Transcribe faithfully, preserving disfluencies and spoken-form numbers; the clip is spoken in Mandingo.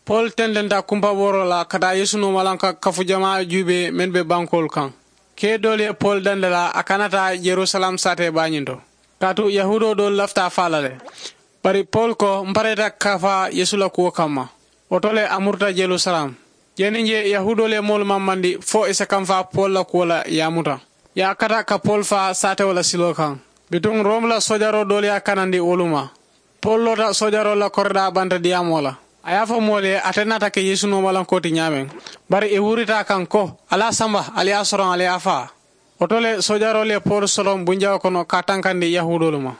Pol tententa kumpabooroo la ka taa yeesu nooma la ka kafu jamaa juubee mennu be bankoolu kaŋ. Kee doolu ye pol dandi la a kana taa yerusalem saatee baa ñiŋ to. Kaatu yahuudoo doolu lafita a faa la le. Bari pol ko m pareeta ka faa yeesu la kuwo kamma. Wo to le a muruta yerusalem. Jee niŋ jee yahuudoolu ye moolu mamandi fo i si kamfaa pol la kuwo la i ye a muta. I ye a kata ka pol faa saatewo la siloo kaŋ. Bituŋ romu la soojaroo doolu ye a kanandi wolu ma. Pol loota soojaroolu la koridaa banta diyaamoo la. A ye a fo moolu ye ate naata ke yeesu noomalankoo ti ñaameŋ. Bari ì wurita a kaŋ ko, ali a samba, ali ye a soroŋ ali ye a faa. Wo to le soojaroolu ye pol soroŋ bunjawoo kono ka a tankandi yahuudoolu ma.